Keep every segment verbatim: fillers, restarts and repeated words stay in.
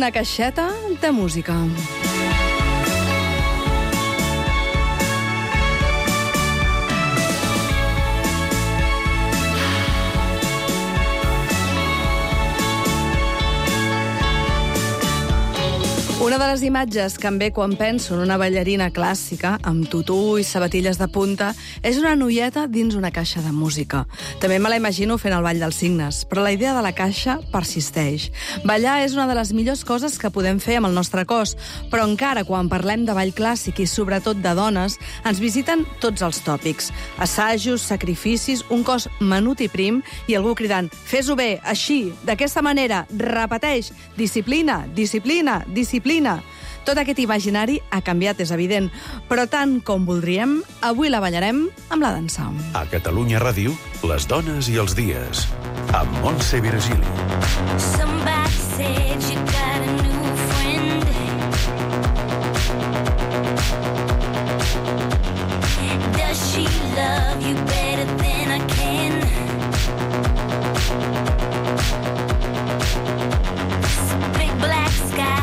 Una caixeta de música. Una de les imatges que em ve quan penso en una ballarina clàssica, amb tutú i sabatilles de punta, és una noieta dins una caixa de música. També me la imagino fent el ball dels signes, però la idea de la caixa persisteix. Ballar és una de les millors coses que podem fer amb el nostre cos, però encara quan parlem de ball clàssic i sobretot de dones, ens visiten tots els tòpics. Assajos, sacrificis, un cos menut i prim i algú cridant «Fes-ho bé, així, d'aquesta manera, repeteix, disciplina, disciplina, disciplina». Tot aquest imaginari ha canviat, és evident, però tant com voldríem, avui la ballarem amb la dansa. A Catalunya Ràdio, les dones i els dies, amb Montse Virgili. Somebody said you got a new friend. Does she love you better than I can? It's a big black sky.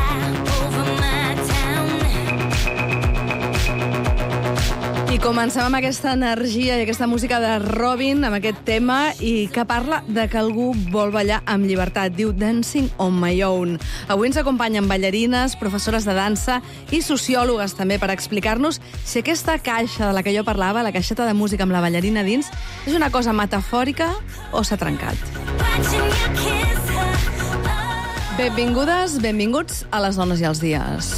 I comencem amb aquesta energia i aquesta música de Robin, amb aquest tema, i que parla de que algú vol ballar amb llibertat. Diu Dancing on my own. Avui ens acompanyen ballarines, professores de dansa i sociòlogues també per explicar-nos si aquesta caixa de la que jo parlava, la caixeta de música amb la ballarina dins, és una cosa metafòrica o s'ha trencat. Benvingudes, benvinguts a Les dones i els dies.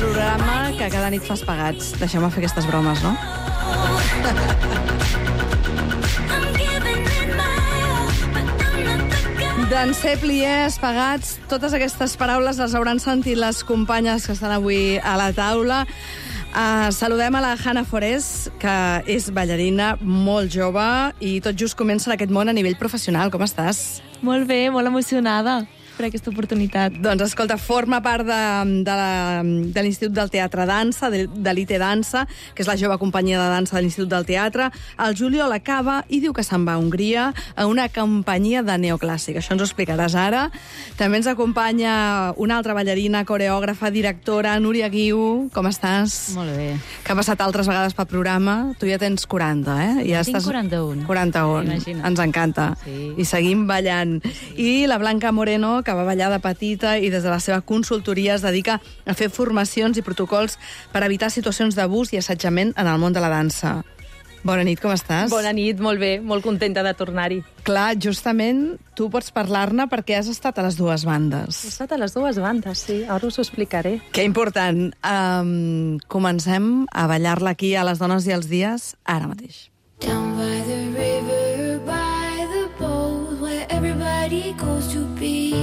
Programa que cada nit fas pagats. Deixeu-me fer aquestes bromes, no? Danser, pliers, pagats, totes aquestes paraules les hauran sentit les companyes que estan avui a la taula. Uh, saludem a la Hanna Forés, que és ballarina molt jove i tot just comença en aquest món a nivell professional. Com estàs? Molt bé, molt emocionada per aquesta oportunitat. Doncs, escolta, forma part de, de, la, de l'Institut del Teatre Dansa, de, de l'I T Dansa, que és la jove companyia de dansa de l'Institut del Teatre. El juliol acaba i diu que se'n va a Hongria a una companyia de neoclàssic. Això ens ho explicaràs ara. També ens acompanya una altra ballarina, coreògrafa, directora, Núria Guiu. Com estàs? Molt bé. Que ha passat altres vegades pel programa. Tu ja tens quaranta, eh? Ja Tinc estàs... quaranta-un. quaranta-un. Imagina't. Ens encanta. Sí. I seguim ballant. I la Blanca Moreno, que va ballar de petita i des de la seva consultoria es dedica a fer formacions i protocols per evitar situacions d'abús i assetjament en el món de la dansa. Bona nit, com estàs? Bona nit, molt bé, molt contenta de tornar-hi. Clar, justament tu pots parlar-ne perquè has estat a les dues bandes. He estat a les dues bandes, sí, ara us ho explicaré. Que important. Um, comencem a ballar-la aquí a Les dones i els dies ara mateix. Down by the river, by the boat, where everybody goes to be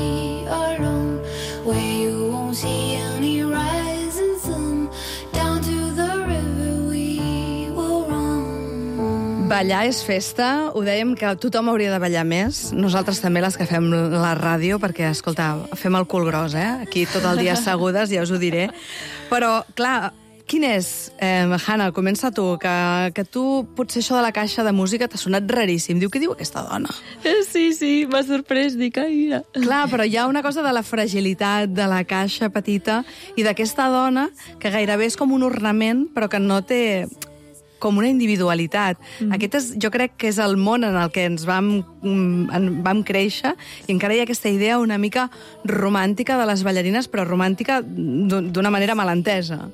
alone, where you won't see any rising sun, down to the river we will run. Ballar és festa, ho dèiem que tothom hauria de ballar més, nosaltres també les que fem la ràdio, perquè, escolta, fem el cul gros, eh? Aquí tot el dia assegudes, ja us ho diré. Però, clar, quin és, eh, Hanna, comença tu, que, que tu potser això de la caixa de música t'ha sonat raríssim. Diu, què diu aquesta dona? Sí, sí, m'ha sorprès, dic, ai, mira. Clar, però hi ha una cosa de la fragilitat de la caixa petita i d'aquesta dona que gairebé és com un ornament, però que no té com una individualitat. Mm. Aquest és, jo crec que és el món en el que ens vam, en, vam créixer i encara hi ha aquesta idea una mica romàntica de les ballarines, però romàntica d'una manera malentesa.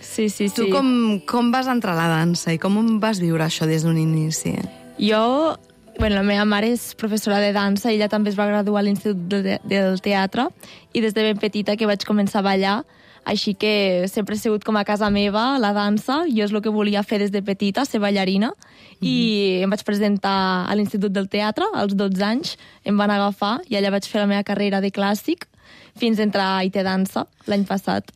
Sí, sí, sí. Tu com, com vas entrar a la dansa i com vas viure això des d'un inici? Jo, bueno, la meva mare és professora de dansa, ella també es va graduar a l'Institut de, del Teatre i des de ben petita que vaig començar a ballar, així que sempre he sigut com a casa meva, la dansa, jo és el que volia fer des de petita, ser ballarina, mm-hmm. i em vaig presentar a l'Institut del Teatre als dotze anys, em van agafar i allà vaig fer la meva carrera de clàssic fins a entrar a I T Dansa l'any passat.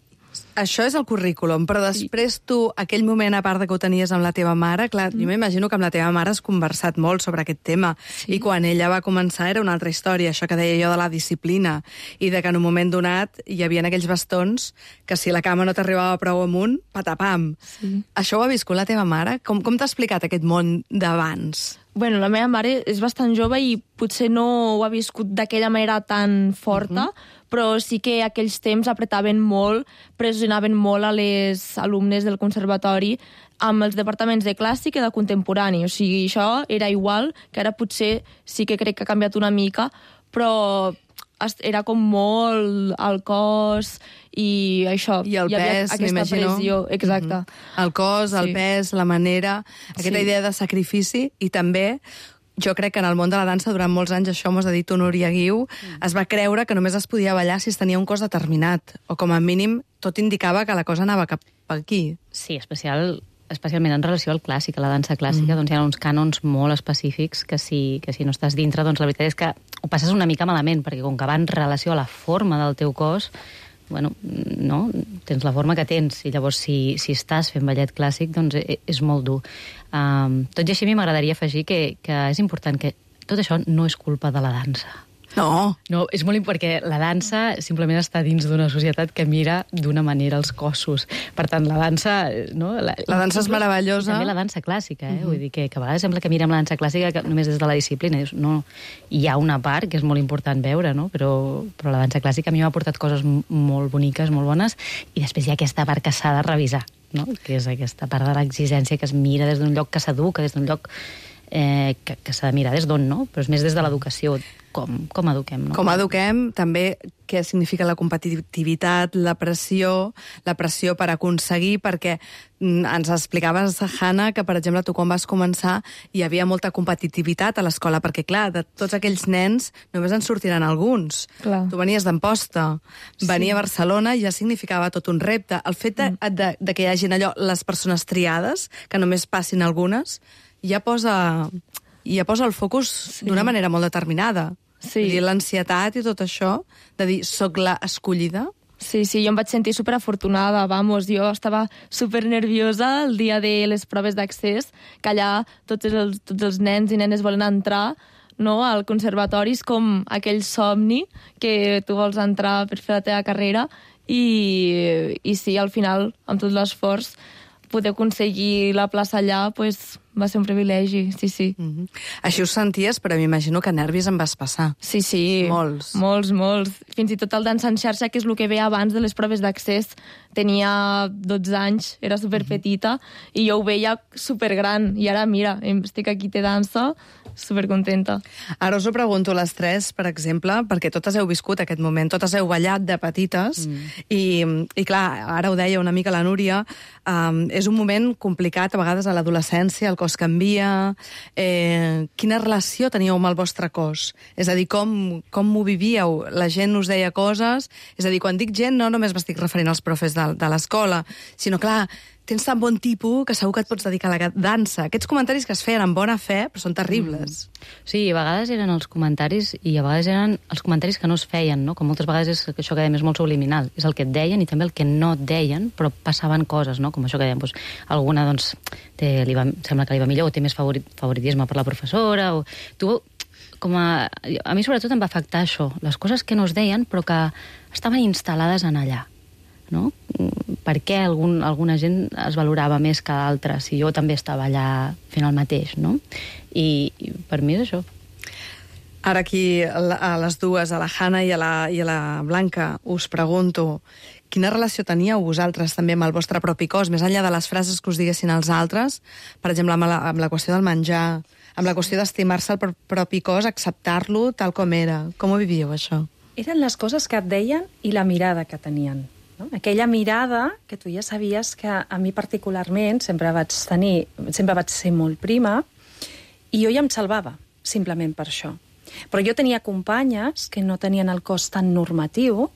Això és el currículum, però després tu, aquell moment, a part de que ho tenies amb la teva mare, clar, mm. jo m'imagino que amb la teva mare has conversat molt sobre aquest tema, sí. I quan ella va començar era una altra història, això que deia jo de la disciplina, i de que en un moment donat hi havia aquells bastons que si la cama no t'arribava prou amunt, patapam. Sí. Això ho ha viscut la teva mare? Com, com t'ha explicat aquest món d'abans? Bueno, la meva mare és bastant jove i potser no ho ha viscut d'aquella manera tan forta, uh-huh. però sí que aquells temps apretaven molt, pressionaven molt a les alumnes del conservatori amb els departaments de clàssic i de contemporani. O sigui, això era igual, que ara potser sí que crec que ha canviat una mica, però era com molt el cos i això. I el hi pes, m'imagino. Pressió, exacte. Mm-hmm. El cos, el sí. pes, la manera, aquesta sí. idea de sacrifici, i també jo crec que en el món de la dansa durant molts anys, això m'ho has dit tu, Núria Guiu, mm. es va creure que només es podia ballar si es tenia un cos determinat, o com a mínim tot indicava que la cosa anava cap aquí. Sí, especial... especialment en relació al clàssic, a la dansa clàssica, mm. doncs hi ha uns cànons molt específics que si, que si no estàs dintre, doncs la veritat és que ho passes una mica malament, perquè com que va en relació a la forma del teu cos, bueno, no? Tens la forma que tens, i llavors si, si estàs fent ballet clàssic, doncs és molt dur. Um, tot i així a mi m'agradaria afegir que, que és important que tot això no és culpa de la dansa. No. No, és molt important, perquè la dansa simplement està dins d'una societat que mira d'una manera els cossos. Per tant, la dansa... No? La, la dansa és meravellosa. També la dansa clàssica, eh? Uh-huh. Vull dir que, que a vegades sembla que mirem la dansa clàssica que només des de la disciplina. No, hi ha una part que és molt important veure, no? Però, però la dansa clàssica a mi m'ha portat coses molt boniques, molt bones, i després hi ha aquesta part que s'ha de revisar, no? Que és aquesta part de l'exigència que es mira des d'un lloc que s'educa, des d'un lloc eh, que, que s'ha de mirar des d'on, no? Però és més des de l'educació. Com, com eduquem, no? Com eduquem, també què significa la competitivitat, la pressió, la pressió per aconseguir, perquè ens explicaves, Hanna, que, per exemple, tu quan vas començar hi havia molta competitivitat a l'escola, perquè, clar, de tots aquells nens només en sortiran alguns. Clar. Tu venies d'Amposta, venia sí. a Barcelona i ja significava tot un repte. El fet de, mm. de, de que hi hagin allò, les persones triades, que només passin algunes, ja posa, ja posa el focus sí. d'una manera molt determinada. Sí. L'ansietat i tot això, de dir, soc la escollida. Sí, sí, jo em vaig sentir superafortunada, vamos, jo estava supernerviosa el dia de les proves d'accés, que allà tots els, tots els nens i nenes volen entrar, no?, al conservatori, és com aquell somni que tu vols entrar per fer la teva carrera, i, i sí, al final, amb tot l'esforç, poder aconseguir la plaça allà, pues, va ser un privilegi, sí, sí. Mm-hmm. Així ho senties, però m'imagino que nervis em vas passar. Sí, sí. Molts. Molts, molts. Fins i tot el dansa en xarxa, que és el que ve abans de les proves d'accés. Tenia dotze anys, era superpetita, mm-hmm. i jo ho veia supergran. I ara, mira, estic aquí de dansa, supercontenta. Ara us ho pregunto a les tres, per exemple, perquè totes heu viscut aquest moment, totes heu ballat de petites, mm. i, i clar, ara ho deia una mica la Núria, um, és un moment complicat, a vegades a l'adolescència, el cos canvia. Eh, quina relació teníeu amb el vostre cos? És a dir, com, com ho vivíeu? La gent us deia coses? És a dir, quan dic gent, no només m'estic referint als profes de, de l'escola, sinó, clar, tens tan bon tipus que segur que et pots dedicar a la dansa. Aquests comentaris que es feien amb bona fe, però són terribles. Mm. Sí, a vegades eren els comentaris i a vegades eren els comentaris que no es feien, no? Com moltes vegades és això que dèiem és molt subliminal. És el que et deien i també el que no et deien, però passaven coses, no? Com això que dèiem, doncs, alguna, doncs, té, li va, sembla que li va millor, o té més favorit, favoritisme per la professora, o... Tu, com a... A mi sobretot em va afectar això, les coses que no es deien, però que estaven instal·lades en allà. No? Per què algun, alguna gent es valorava més que d'altres si jo també estava allà fent el mateix, no? I, i per mi és això. Ara aquí a les dues, a la Hanna i a la, i a la Blanca, us pregunto quina relació teníeu vosaltres també amb el vostre propi cos, més enllà de les frases que us diguessin els altres, per exemple, amb la, amb la qüestió del menjar, amb la qüestió d'estimar-se el propi cos, acceptar-lo tal com era. Com ho vivíeu, això? Eren les coses que et deien i la mirada que tenien. No? Aquella mirada que tu ja sabies que a mi particularment sempre vaig tenir, sempre vaig ser molt prima, i jo ja em salvava, simplement per això. Però jo tenia companyes que no tenien el cos tan normatiu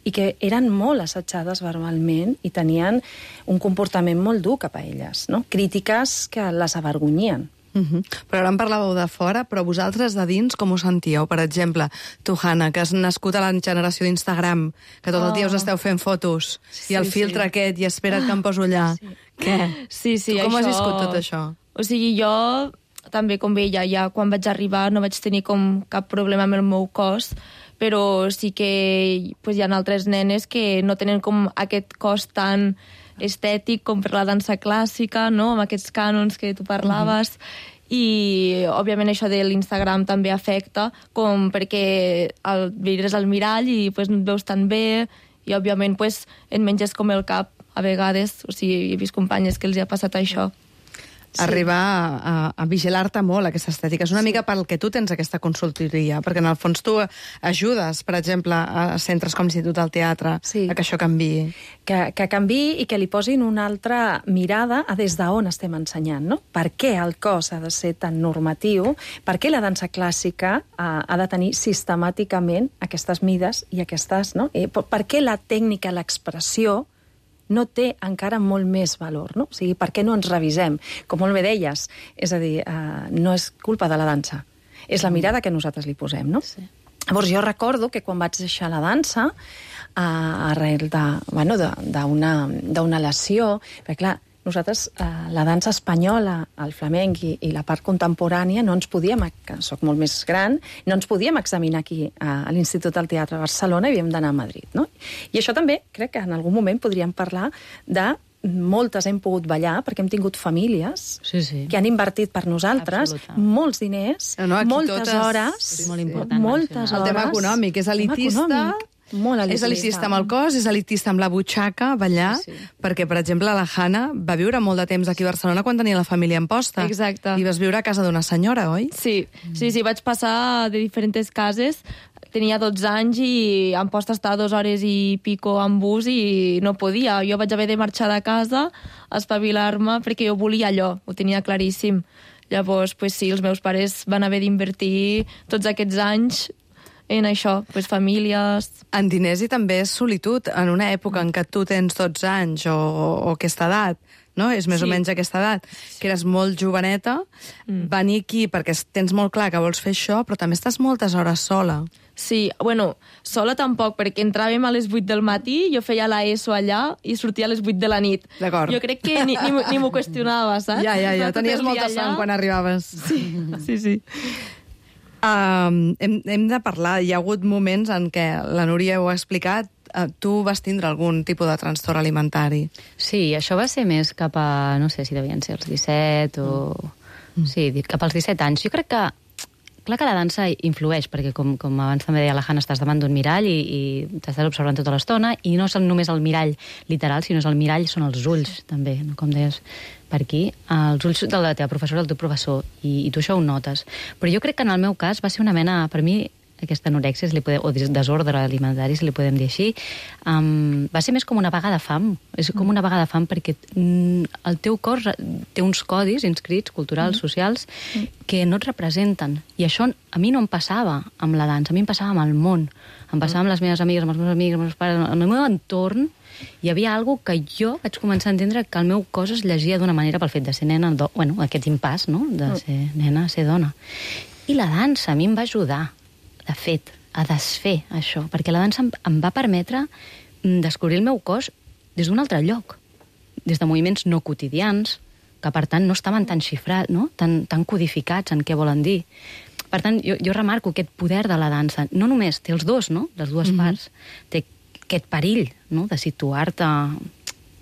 i que eren molt assetjades verbalment i tenien un comportament molt dur cap a elles, no? Crítiques que les avergonyien. Uh-huh. Però ara en parlàveu de fora, però vosaltres de dins com ho sentíeu? Per exemple, tu, Hanna, que has nascut a la generació d'Instagram, que tot el dia us esteu fent fotos, sí, i el filtre sí. aquest, i espera't que em poso allà. Sí. Què? Sí, sí, tu com això... has viscut tot això? O sigui, jo també, com ella, ja quan vaig arribar no vaig tenir com cap problema amb el meu cos, però sí que pues, hi ha altres nenes que no tenen com aquest cos tan estètic com per la dansa clàssica, no? Amb aquests cànons que tu parlaves. Mm-hmm. i, òbviament, això de l'Instagram també afecta, com perquè el vidres al mirall i pues, no et veus tan bé i, òbviament, pues, et menges com el cap a vegades. O sigui, he vist companyes que els hi ha passat això. Sí. Arribar a, a, a vigilar-te molt, aquesta estètica. És una sí. mica pel que tu tens aquesta consultoria, perquè en el fons tu ajudes, per exemple, a centres com l'Institut del Teatre, sí. a que això canviï. Que, que canviï i que li posin una altra mirada a des d'on estem ensenyant, no? Per què el cos ha de ser tan normatiu? Per què la dansa clàssica ha, ha de tenir sistemàticament aquestes mides i aquestes, no? I per, per què la tècnica, l'expressió, no té encara molt més valor, no? O sigui, per què no ens revisem? Com molt bé deies, és a dir, eh, no és culpa de la dansa, és la mirada que nosaltres li posem, no? Sí. Llavors, jo recordo que quan vaig deixar la dansa, eh, arrel de, bueno, d'una d'una lesió, perquè clar, nosaltres, eh, la dansa espanyola, el flamenc i, i la part contemporània, no ens podíem, que soc molt més gran, no ens podíem examinar aquí a, a l'Institut del Teatre de Barcelona i havíem d'anar a Madrid, no? I això també, crec que en algun moment podríem parlar de moltes hem pogut ballar, perquè hem tingut famílies sí, sí. que han invertit per nosaltres Absoluta. molts diners, no, no, moltes totes... hores... És molt important. Moltes hores. El tema econòmic és elitista... Molt elitista. És elitista amb el cos, és elitista amb la butxaca, ballar, sí, sí. perquè, per exemple, la Hanna va viure molt de temps aquí a Barcelona quan tenia la família en posta. Exacte. I vas viure a casa d'una senyora, oi? Sí, sí, sí, vaig passar de diferents cases. Tenia dotze anys i em posta estar dues hores i pico en bus i no podia. Jo vaig haver de marxar de casa, espavilar-me, perquè jo volia allò, ho tenia claríssim. Llavors, pues sí, els meus pares van haver d'invertir tots aquests anys en això, pues, famílies... En diners i també és solitud. En una època en què tu tens dotze anys o, o aquesta edat, no? És més sí. o menys aquesta edat, que eres molt joveneta, mm. venir aquí perquè tens molt clar que vols fer això, però també estàs moltes hores sola. Sí, bueno, sola tampoc, perquè entràvem a les vuit del matí, jo feia la ESO allà i sortia a les vuit de la nit. D'acord. Jo crec que ni, ni, ni m'ho qüestionava, saps? Ja, ja, ja, tenies molta son quan arribaves. Sí, sí, sí. Um, hem, hem de parlar, hi ha hagut moments en què, la Núria ho ha explicat, uh, tu vas tindre algun tipus de trastorn alimentari. Sí, això va ser més cap a, no sé si devien ser els disset o... Mm. Sí, cap als disset anys. Jo crec que, clar que la dansa influeix, perquè com, com abans també deia la Hanna, estàs davant d'un mirall i, i t'estàs observant tota l'estona, i no és només el mirall literal, sinó és el mirall, són els ulls, també, no? Com deies per aquí, els ulls de la teva professora, del teu professor, i, i tu això ho notes. Però jo crec que en el meu cas va ser una mena, per mi, aquesta anorèxia, si li podem, o desordre alimentari, si li podem dir així, um, va ser més com una vaga de fam. És com una vaga de fam perquè mm, el teu cos té uns codis inscrits, culturals, mm. socials, que no et representen. I això a mi no em passava amb la dansa, a mi em passava amb el món. Em passava amb les meves amigues, amb els meus amics, amb els meus pares, en el meu entorn, hi havia alguna que jo vaig començar a entendre que el meu cos es llegia d'una manera pel fet de ser nena, do... bueno, aquest impàs, no?, de ser nena a ser dona. I la dansa a mi em va ajudar, de fet, a desfer això, perquè la dansa em, em va permetre descobrir el meu cos des d'un altre lloc, des de moviments no quotidians, que per tant no estaven tan xifrats, no?, tan, tan codificats en què volen dir. Per tant, jo, jo remarco aquest poder de la dansa. No només té els dos, no?, les dues mm-hmm. parts, té aquest perill, no?, de situar-te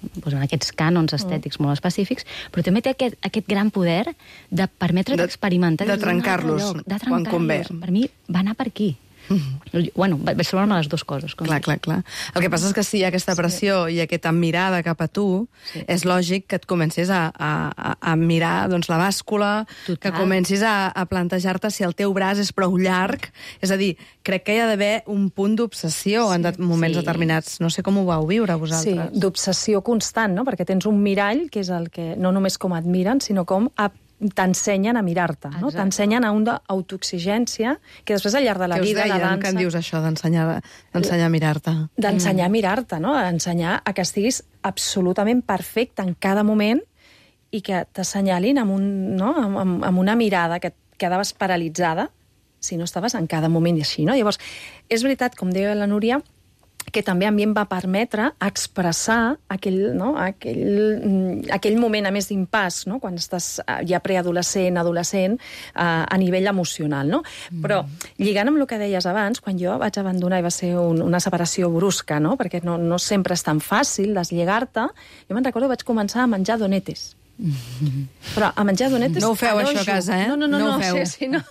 doncs, en aquests cànons estètics mm. molt específics, però també té aquest, aquest gran poder de permetre't experimentar... De trencar-los, quan convé. Per mi va anar per aquí. Mm-hmm. Bueno, vaig trobar-me les dues coses. Com clar, clar, clar. El que passa és que si hi ha aquesta pressió sí. i aquesta mirada cap a tu, sí. és lògic que et comencis a, a, a mirar doncs, la bàscula, Total. que comencis a, a plantejar-te si el teu braç és prou llarg. És a dir, crec que hi ha d'haver un punt d'obsessió sí. en de moments sí. determinats. No sé com ho vau viure, vosaltres. Sí, d'obsessió constant, no? Perquè tens un mirall, que és el que no només com admiren, sinó com a t'ensenyen a mirar-te, no? T'ensenyen a una autoexigència que després al llarg de la que vida, deien, la dansa... Que en dius això, d'ensenyar d'ensenyar a mirar-te? D'ensenyar a mirar-te, no? Ensenyar a que estiguis absolutament perfecte en cada moment i que t'assenyalin amb, un, no? amb, amb una mirada que et quedaves paralitzada si no estaves en cada moment i així, no? Llavors, és veritat, com deia la Núria, que també a mi em va permetre expressar aquell, no, aquell, aquell moment a més d'impàs, no? Quan estàs ja preadolescent, adolescent, a, a nivell emocional. No? Mm. Però lligant amb el que deies abans, quan jo vaig abandonar i va ser un, una separació brusca, no? Perquè no, no sempre és tan fàcil deslligar-te, jo me'n recordo que vaig començar a menjar donetes. Però a menjar donetes... No ho feu, això, a casa, eh? No, no, no, No ho no, feu. sí, sí, no.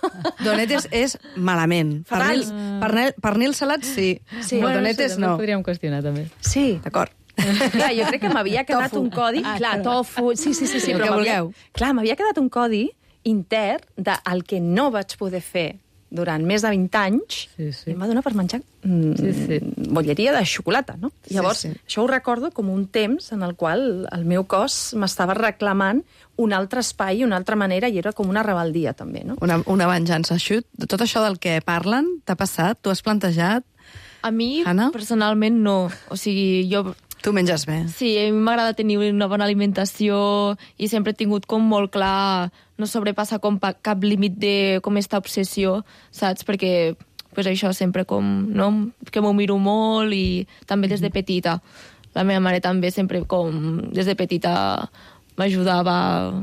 Donetes és malament. Fatal. Pernil, pernil, pernil salat, sí. Sí. Però Bueno, donetes, també no. ho podríem qüestionar, també. Sí. D'acord. Clar, jo crec que m'havia quedat Tofu. un codi... Ah, clar, perdó. tofu... Sí, sí, sí, sí, El però que m'havia- vulgueu. Clar, m'havia quedat un codi intern del que no vaig poder fer durant més de vint anys, Sí, sí. i em va donar per menjar mm, Sí, sí. bolleria de xocolata, no? Sí, Llavors, sí. això ho recordo com un temps en el qual el meu cos m'estava reclamant un altre espai, una altra manera, i era com una rebeldia, també, no? Una, una venjança. Això, de tot això del que parlen, t'ha passat? T'ho has plantejat? A mi, Anna? personalment, no. O sigui, jo... Tu menges bé. Sí, a mi m'agrada tenir una bona alimentació i sempre he tingut com molt clar no sobrepassar com pa- cap límit de com esta obsessió, saps? Perquè pues això sempre com, no? Que m'ho miro molt i també des de petita. La meva mare també sempre com des de petita m'ajudava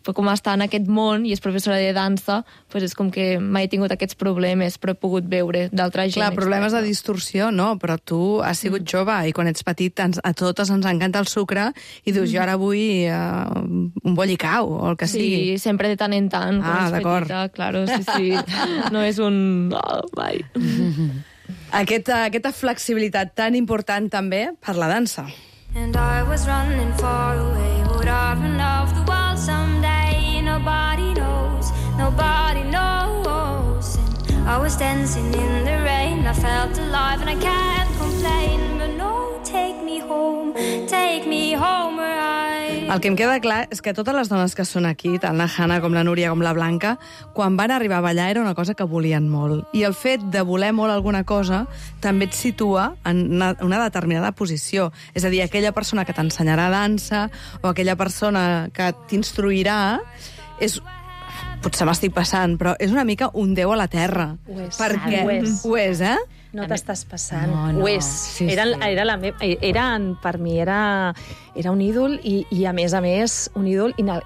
com a estar en aquest món i és professora de dansa, pues és com que mai he tingut aquests problemes, però he pogut veure d'altra gent. Clar, problemes de externa. distorsió, no, però tu has sigut jove i quan ets petit ens, a totes ens encanta el sucre i dius, jo ara vull uh, un bollicau o el que Sí, sigui. sempre de tant en tant, quan Ah, és d'acord. petita, claro, sí, sí. No és un... Oh, mai. Aquesta, aquesta flexibilitat tan important també per la dansa. And I was running far away, would I run off the wall someday? Nobody knows, nobody knows. And I was dancing in the rain, I felt alive and I can't complain. But no, take me home, take me home where I... El que em queda clar és que totes les dones que són aquí, tant la Hanna com la Núria com la Blanca, quan van arribar a ballar era una cosa que volien molt. I el fet de voler molt alguna cosa també et situa en una, una determinada posició. És a dir, aquella persona que t'ensenyarà dansa o aquella persona que t'instruirà és... Potser m'estic passant, però és una mica un déu a la terra. Ho és. Perquè... Ho és. Ho és, eh? No t'estàs passant. No, no. Ho és. Sí, era, sí. era, la me... era, per mi era, era un ídol i, i, a més a més, un ídol ina...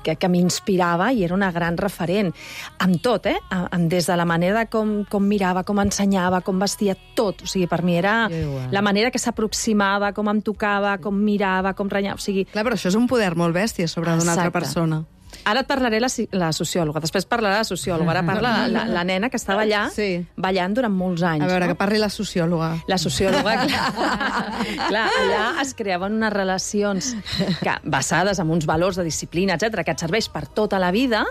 que, que m'inspirava i era una gran referent. Amb tot, eh? Amb, des de la manera com, com mirava, com ensenyava, com vestia, tot. O sigui, per mi era Igual. la manera que s'aproximava, com em tocava, com mirava, com renyava. O sigui, Clar, però això és un poder molt bèstia sobre d'una altra Exacte. persona. ara et parlaré la, si- la sociòloga, després parlarà la sociòloga, ara parla la, la, la nena que estava allà Sí. ballant durant molts anys. A veure, no? que parli la sociòloga. La sociòloga, clar, clar, allà es creaven unes relacions que, basades en uns valors de disciplina, etcètera, que et serveix per tota la vida,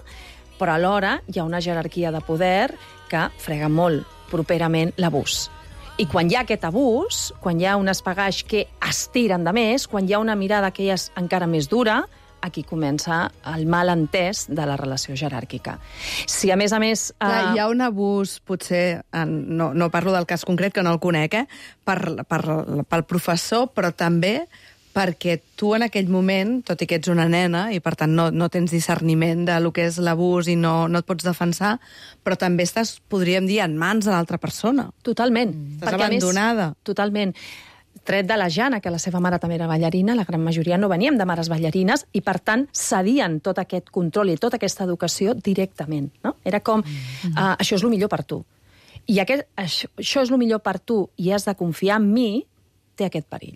però alhora hi ha una jerarquia de poder que frega molt properament l'abús. I quan hi ha aquest abús, quan hi ha un espagaix que estiren de més, quan hi ha una mirada que és encara més dura, aquí comença el malentès de la relació jeràrquica. Si, a més a més... Clar, eh, hi ha un abús, potser, en, no, no parlo del cas concret, que no el conec, eh, per, per, pel professor, però també perquè tu en aquell moment, tot i que ets una nena, i per tant no, no tens discerniment de lo que és l'abús i no, no et pots defensar, però també estàs, podríem dir, en mans de l'altra persona. Totalment. Estàs Perquè, a més, abandonada. Totalment. Tret de la Jana, que la seva mare també era ballarina, la gran majoria no veníem de mares ballarines i, per tant, cedien tot aquest control i tota aquesta educació directament. No? Era com, mm-hmm. uh, això és el millor per tu. I aquest, això, això és el millor per tu i has de confiar en mi, té aquest perill.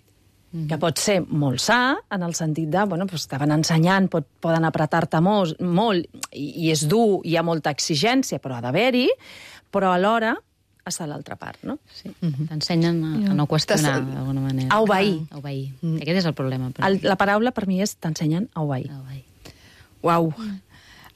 Mm-hmm. Que pot ser molt sa, en el sentit de, bueno, doncs estaven ensenyant, pot, poden apretar-te molt, molt i, i és dur, hi ha molta exigència, però ha d'haver-hi, però alhora està a l'altra part, no? Sí. Mm-hmm. T'ensenyen a, a no qüestionar, d'alguna manera. A obeir. A obeir. Mm. Aquest és el problema. Però... El, la paraula per mi és t'ensenyen a obeir. A obeir. Uau!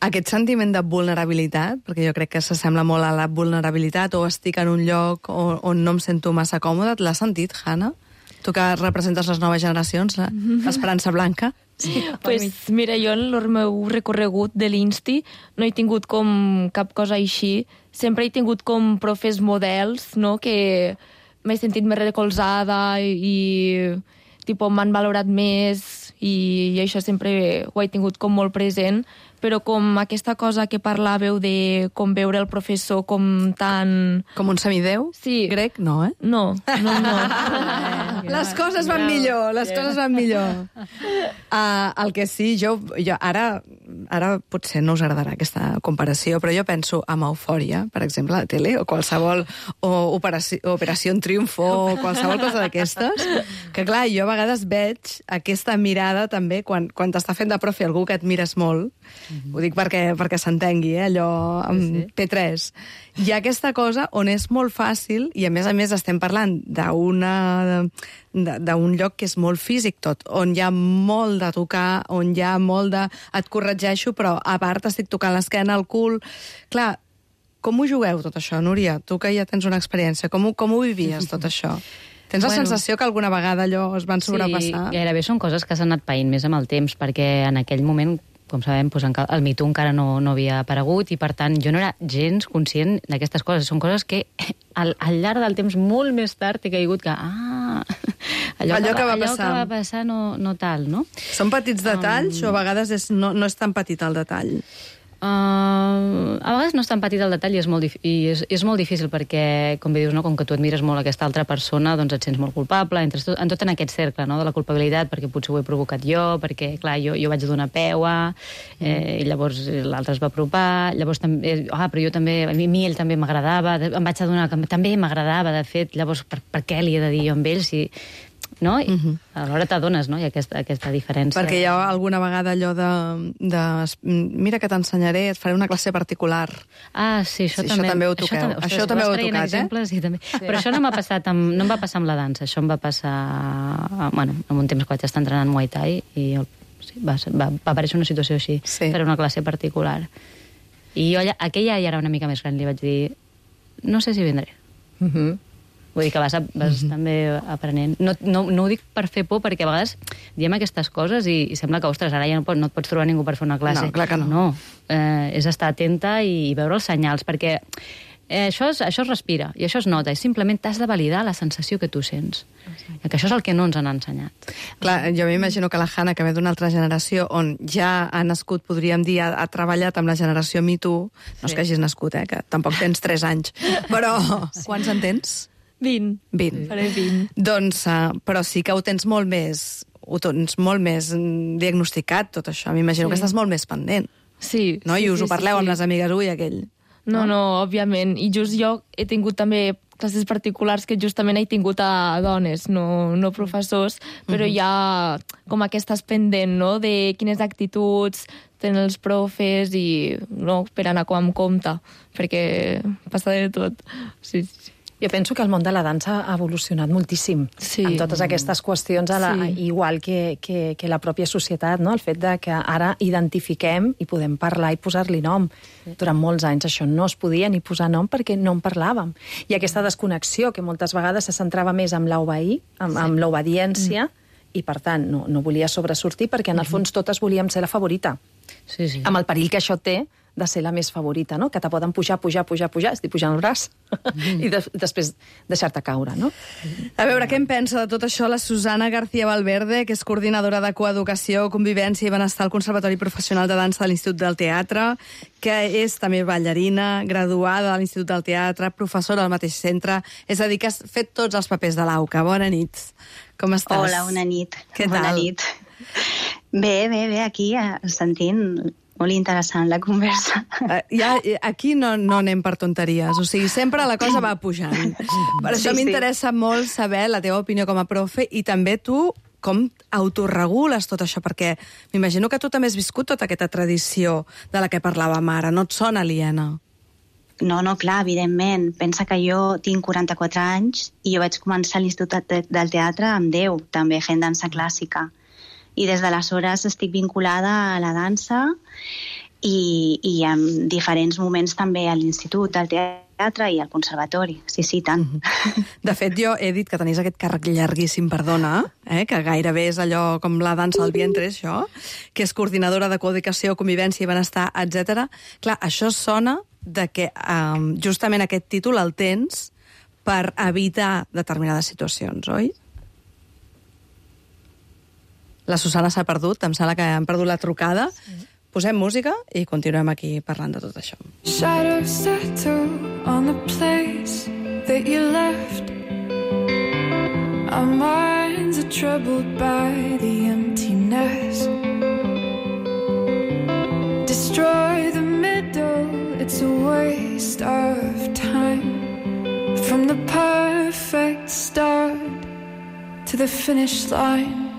Aquest sentiment de vulnerabilitat, perquè jo crec que s'assembla molt a la vulnerabilitat, o estic en un lloc on, on no em sento massa còmode, l'has sentit, Hanna? Tu que representes les noves generacions, l'Esperança Blanca? Sí, Pues, mira, jo en el meu recorregut de l'Insti no he tingut com cap cosa així. Sempre he tingut com profes models, no?, que m'he sentit més recolzada i, i tipo, m'han valorat més i, i això sempre ho he tingut com molt present, però com aquesta cosa que parlàveu de com veure el professor com tan... Com un semideu? Sí. Grec? No, eh? No, no, no. Les coses van millor, les coses van millor. Uh, el que sí, jo, jo ara, ara potser no us agradarà aquesta comparació, però jo penso en Eufòria, per exemple, a la tele, o qualsevol, o Operació, Operació Triunfo, o qualsevol cosa d'aquestes, que clar, jo a vegades veig aquesta mirada també, quan, quan t'està fent de profe algú que et mires molt, mm-hmm. ho dic perquè, perquè s'entengui, eh, allò amb sí, sí. P tres, hi ha aquesta cosa on és molt fàcil, i a més a més estem parlant d'una d'un lloc que és molt físic tot, on hi ha molt de tocar, on hi ha molt de... et corregeixo, però a part estic tocant l'esquena, el cul... Clar, com ho jugueu tot això, Núria? Tu que ja tens una experiència, com ho, com ho vivies tot això? Tens la bueno, sensació que alguna vegada allò es van sobrepassar? Sí, gairebé són coses que s'han anat païnt més amb el temps, perquè en aquell moment, com sabem, doncs el Me Too encara no, no havia aparegut i, per tant, jo no era gens conscient d'aquestes coses. Són coses que al, al llarg del temps, molt més tard, he caigut que... Ah, allò, allò, que, que, va allò passar. que va passar no, no tal, no? Són petits detalls um... o a vegades és, no, no és tan petit el detall? Uh, a vegades no és tan petit el detall i és molt, i és, és molt difícil perquè, com bé dius, no, com que tu admires molt aquesta altra persona, doncs et sents molt culpable, entres tot, en tot en aquest cercle, no, de la culpabilitat, perquè potser ho he provocat jo, perquè, clar, jo, jo vaig donar peua, eh, i llavors l'altre es va apropar, llavors també, ah, però jo també, a mi ell també m'agradava, em vaig adonar que també m'agradava, de fet, llavors per, per què li he de dir jo amb ell si... No? I uh-huh. alhora t'adones, no? Hi ha aquesta, aquesta diferència. Perquè hi ha alguna vegada allò de... de mira que t'ensenyaré, et faré una classe particular. Ah, sí, això, sí, també, això també ho toqueu. Això, també, això també ho heu tocat, exemples, eh? I també. Sí. Però això no m'ha passat amb, no em va passar amb la dansa, això em va passar... Bueno, en un temps que vaig estar entrenant Muay Thai i sí, va, va, va aparèixer una situació així, sí. per una classe particular. I jo, aquella ja era una mica més gran, li vaig dir, no sé si vindré. Mhm. Vull dir que vas, vas mm-hmm. també aprenent. No, no, no ho dic per fer por, perquè a vegades diem aquestes coses i, i sembla que, ostres, ara ja no, pot, no et pots trobar ningú per fer una classe. No, clar que no. No, eh, és estar atenta i, i veure els senyals, perquè eh, això, es, això es respira i això es nota, i simplement t'has de validar la sensació que tu sents. Sí. Que això és el que no ens han ensenyat. Clar, jo m'imagino que la Hanna, que ve d'una altra generació on ja ha nascut, podríem dir, ha, ha treballat amb la generació Me Too, no sí. és que hagis nascut, eh, que tampoc tens tres anys, però sí. quants en tens? vint. vint. Faré vint. Doncs, uh, però sí que ho tens molt més, ho tens molt més diagnosticat, tot això. M'imagino sí. que estàs molt més pendent. Sí. No? Sí, I us sí, ho parleu sí, amb sí. les amigues, ui, aquell. No, no, òbviament. I just jo he tingut també classes particulars que justament he tingut a dones, no, no professors, però uh-huh. hi ha com aquestes pendent, no?, de quines actituds tenen els profes i no, per anar com amb compte, perquè passa de tot. Sí, sí. Jo penso que el món de la dansa ha evolucionat moltíssim sí. en totes aquestes qüestions, a la, sí. igual que, que, que la pròpia societat, no? El fet de que ara identifiquem i podem parlar i posar-li nom. Sí. Durant molts anys això no es podia ni posar nom perquè no en parlàvem. I aquesta desconnexió que moltes vegades se centrava més en l'obeir, amb, sí. amb l'obediència, mm. i per tant no, no volia sobresortir perquè en el fons totes volíem ser la favorita. Sí, sí. Amb el perill que això té de ser la més favorita, no? Que te poden pujar, pujar, pujar, pujar, estic pujant el braç, mm. i de, després deixar-te caure, no? A veure, què en pensa de tot això la Susana García Valverde, que és coordinadora de coeducació, convivència i benestar al Conservatori Professional de Dansa de l'Institut del Teatre, que és també ballarina, graduada de l'Institut del Teatre, professora al mateix centre, és a dir, que has fet tots els papers de l'AUCA. Bona nit. Com estàs? Hola, bona nit. Què bona tal? nit. Bé, bé, bé, aquí sentint... Molt interessant la conversa. Uh, ja, aquí no, no anem per tonteries, o sigui, sempre la cosa va pujant. Per això sí, m'interessa sí. molt saber la teva opinió com a profe i també tu com autorregules tot això, perquè m'imagino que tu també has viscut tota aquesta tradició de la que parlàvem ara, no et sona aliena? No, no, clar, evidentment. Pensa que jo tinc quaranta-quatre anys i jo vaig començar a l'Institut del Teatre amb deu, també fent dansa clàssica. I des d'aleshores estic vinculada a la dansa i, i en diferents moments també a l'Institut del Teatre i al Conservatori. Sí, sí, tant. De fet, jo he dit que tenies aquest càrrec llarguíssim, perdona, eh, que gairebé és allò com la dansa al vientre, això, que és coordinadora de coeducació, convivència i benestar, etcètera. Clar, això sona de que um, justament aquest títol el tens per evitar determinades situacions, oi? La Susana s'ha perdut, em sembla que han perdut la trucada. Sí. Posem música i continuem aquí parlant de tot això. Shadows settle on the place that you left. Our minds are troubled by the emptiness. destroy the middle. It's a waste of time. From the perfect start to the finish line.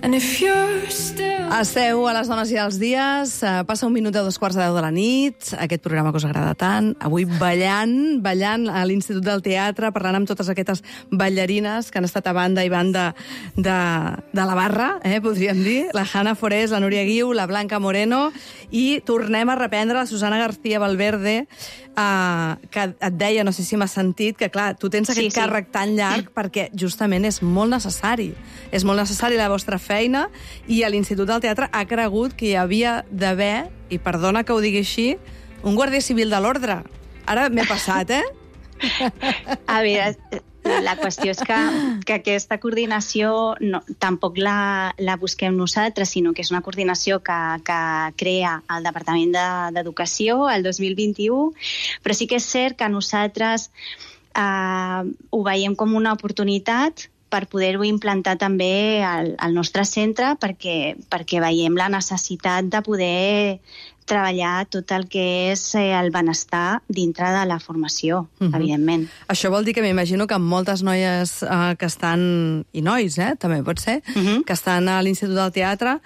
And if you're still... Esteu a les dones i als dies, passa un minut a dos quarts de deu de la nit, aquest programa que us agrada tant, avui ballant, ballant a l'Institut del Teatre, parlant amb totes aquestes ballarines que han estat a banda i banda de, de la barra, eh, podríem dir, la Hanna Forés, la Núria Guiu, la Blanca Moreno, i tornem a reprendre la Susana García Valverde, eh, que et deia, no sé si m'has sentit, que clar, tu tens aquest sí, sí. càrrec tan llarg perquè justament és molt necessari. És molt necessari la vostra feina i a l'Institut del Teatre ha cregut que hi havia d'haver, i perdona que ho digui així, un guàrdia civil de l'ordre. Ara m'he passat, eh? A veure, la qüestió és que, que aquesta coordinació no, tampoc la, la busquem nosaltres, sinó que és una coordinació que, que crea el Departament d'Educació el dos mil vint-i-u, però sí que és cert que nosaltres eh, ho veiem com una oportunitat per poder-ho implantar també al, al nostre centre perquè, perquè veiem la necessitat de poder treballar tot el que és el benestar dintre de la formació, uh-huh. evidentment. Això vol dir que m'imagino que moltes noies eh, que estan, i nois, eh, també pot ser, uh-huh. que estan a l'Institut del Teatre,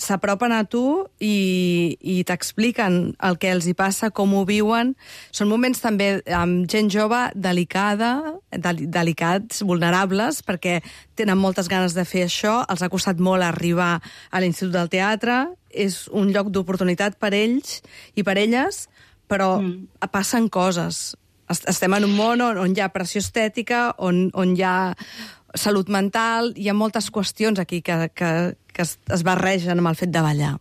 s'apropen a tu i, i t'expliquen el que els hi passa, com ho viuen. Són moments també amb gent jove delicada, del, delicats, vulnerables, perquè tenen moltes ganes de fer això, els ha costat molt arribar a l'Institut del Teatre, és un lloc d'oportunitat per ells i per elles, però mm. passen coses. Estem en un món on, on hi ha pressió estètica, on, on hi ha salut mental, hi ha moltes qüestions aquí que, que, que es, es barregen amb el fet de ballar.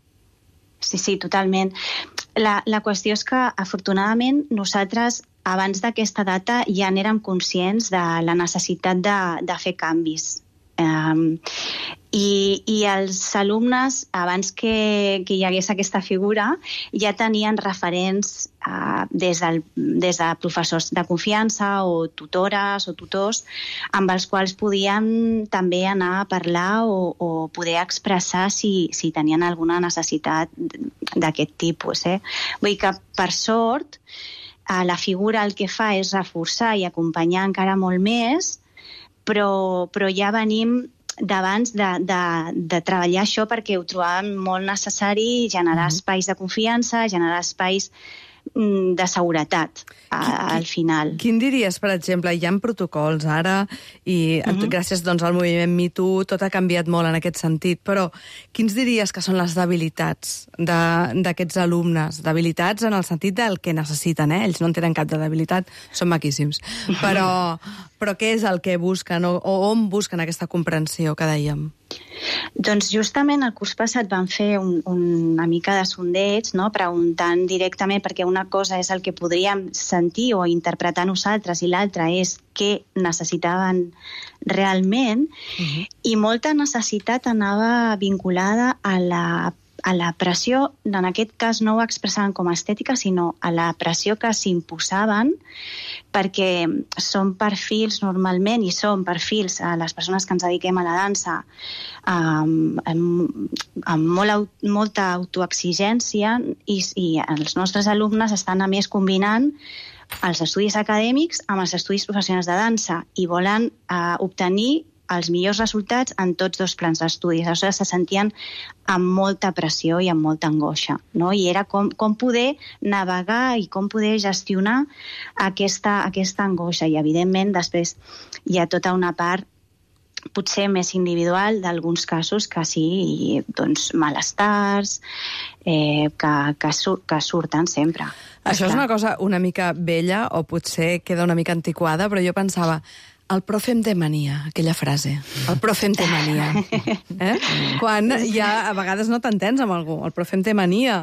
Sí, sí, totalment. La, la qüestió és que, afortunadament, nosaltres, abans d'aquesta data, ja n'érem conscients de la necessitat de, de fer canvis. Um, i, i els alumnes, abans que, que hi hagués aquesta figura, ja tenien referents uh, des, del, des de professors de confiança o tutores o tutors amb els quals podien també anar a parlar o, o poder expressar si, si tenien alguna necessitat d'aquest tipus. Eh? Vull dir que, per sort, uh, la figura el que fa és reforçar i acompanyar encara molt més, però, però ja venim d'abans de, de, de treballar això perquè ho trobàvem molt necessari, generar mm-hmm. espais de confiança, generar espais mm, de seguretat a, al final. Quin diries, per exemple, hi ha protocols ara i mm-hmm. gràcies doncs, al moviment Me Too tot ha canviat molt en aquest sentit, però quins diries que són les debilitats d'aquests alumnes? Debilitats en el sentit del que necessiten, eh? Ells no en tenen cap de debilitat, són maquíssims, però... Però què és el que busquen o, o on busquen aquesta comprensió que dèiem? Doncs justament el curs passat van fer un, un, una mica de sondeig, no? Preguntant directament, perquè una cosa és el que podríem sentir o interpretar nosaltres i l'altra és què necessitaven realment, uh-huh. i molta necessitat anava vinculada a la a la pressió, en aquest cas no ho expressaven com a estètica, sinó a la pressió que s'imposaven, perquè són perfils normalment, i són perfils a les persones que ens dediquem a la dansa, amb, amb, amb molt, molta autoexigència, i, i els nostres alumnes estan a més combinant els estudis acadèmics amb els estudis professionals de dansa, i volen eh, obtenir els millors resultats en tots dos plans d'estudis. Aleshores se sentien amb molta pressió i amb molta angoixa, no? I era com, com poder navegar i com poder gestionar aquesta, aquesta angoixa. I, evidentment, després hi ha tota una part potser més individual d'alguns casos que sí, doncs, malestars, eh, que, que, sur que surten sempre. Això és una cosa una mica vella o potser queda una mica antiquada, però jo pensava... El profe em té mania, aquella frase. El profe em té mania. Eh? Quan ja a vegades no t'entens amb algú. El profe em té mania.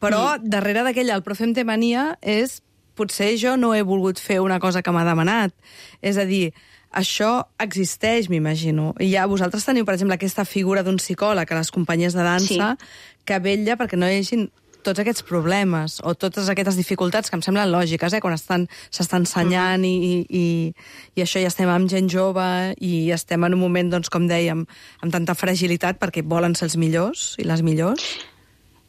Però mm. darrere d'aquella, el profe em té mania, és potser jo no he volgut fer una cosa que m'ha demanat. És a dir, això existeix, m'imagino. I ja vosaltres teniu, per exemple, aquesta figura d'un psicòleg a les companyies de dansa sí. que vetlla perquè no hi hagi tots aquests problemes o totes aquestes dificultats que em semblen lògiques, eh? Quan s'estan ensenyant i, i, i això ja estem amb gent jove i estem en un moment, doncs, com dèiem, amb tanta fragilitat perquè volen ser els millors i les millors.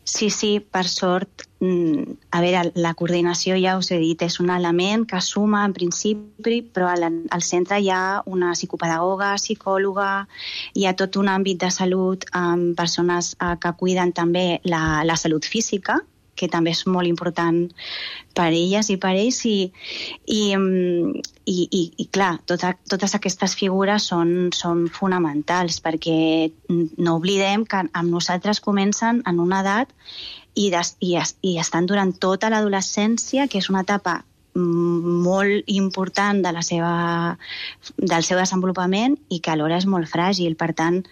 Sí, sí, per sort, mm, a veure, la coordinació, ja us he dit, és un element que suma en principi, però al, al centre hi ha una psicopedagoga, psicòloga, hi ha tot un àmbit de salut amb persones eh, que cuiden també la, la salut física, que també és molt important per elles i per ells, i, i, i, i, i clar, tota, totes aquestes figures són, són fonamentals, perquè no oblidem que amb nosaltres comencen en una edat i, des, i, i estan durant tota l'adolescència, que és una etapa molt important de la seva, del seu desenvolupament i que alhora és molt fràgil. Per tant,